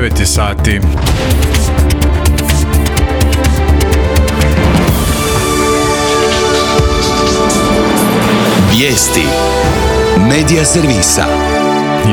9 sati. Vijesti Medija servisa.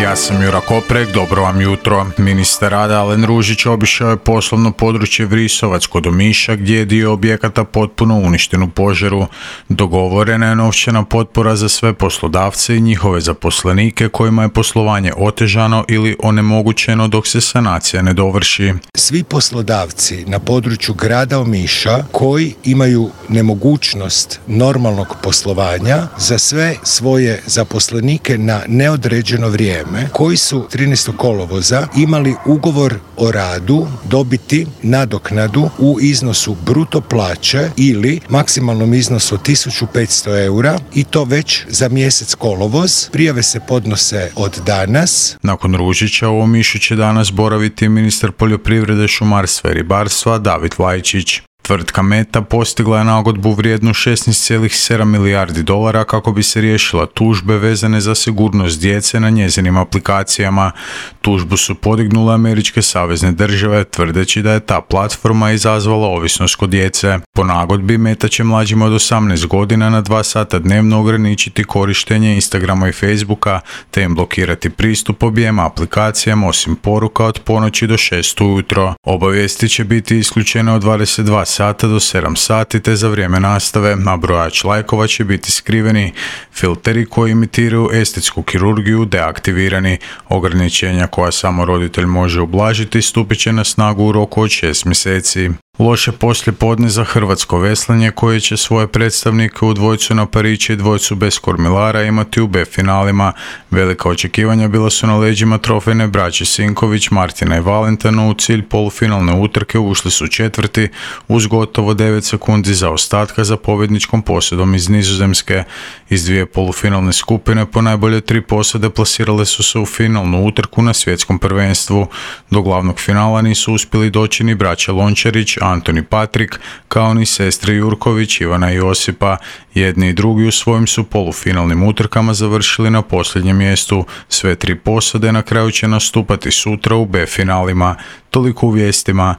Ja sam Jura Koprek, dobro vam jutro. Ministar rada Alen Ružić obišao je poslovno područje Vrisovac kod Omiša gdje je dio objekata potpuno uništen u požaru. Dogovorena je novčana potpora za sve poslodavce i njihove zaposlenike kojima je poslovanje otežano ili onemogućeno dok se sanacija ne dovrši. Svi poslodavci na području grada Omiša koji imaju nemogućnost normalnog poslovanja za sve svoje zaposlenike na neodređeno vrijeme, koji su 13. kolovoza imali ugovor o radu dobiti nadoknadu u iznosu bruto plaće ili maksimalnom iznosu 1500 eura i to već za mjesec kolovoz. Prijave se podnose od danas. Nakon Ružića u Omišu će danas boraviti ministar poljoprivrede, šumarstva i ribarstva David Vlajčić. Tvrtka Meta postigla je nagodbu vrijednu 16,7 milijardi dolara kako bi se riješila tužbe vezane za sigurnost djece na njezinim aplikacijama. Tužbu su podignule američke savezne države tvrdeći da je ta platforma izazvala ovisnost kod djece. Po nagodbi Meta će mlađima od 18 godina na 2 sata dnevno ograničiti korištenje Instagrama i Facebooka te im blokirati pristup objema aplikacijama osim poruka od ponoći do 6 ujutro. Obavijesti će biti isključene od 22 sata do 7 sati te za vrijeme nastave, a brojač lajkova će biti skriveni. Filteri koji imitiraju estetsku kirurgiju deaktivirani. Ograničenja koja samo roditelj može ublažiti stupit će na snagu u roku od 6 mjeseci. Loše poslijepodne za hrvatsko veslanje koje će svoje predstavnike u dvojcu na Parići i dvojcu bez kormilara imati u B finalima. Velika očekivanja bila su na leđima trofejne braće Sinković, Martina i Valentana. U cilj polufinalne utrke ušli su četvrti uz gotovo 9 sekundi zaostatka za pobjedničkom posjedom iz Nizozemske. Iz 2 polufinalne skupine po najbolje 3 posade plasirale su se u finalnu utrku na svjetskom prvenstvu. Do glavnog finala nisu uspjeli doći ni braća Lončarić, Antoni Patrik, kao ni sestre Jurković, Ivana i Josipa. Jedni i drugi u svojim su polufinalnim utrkama završili na posljednjem mjestu. Sve 3 posade na kraju će nastupati sutra u B finalima. Toliko u vijestima.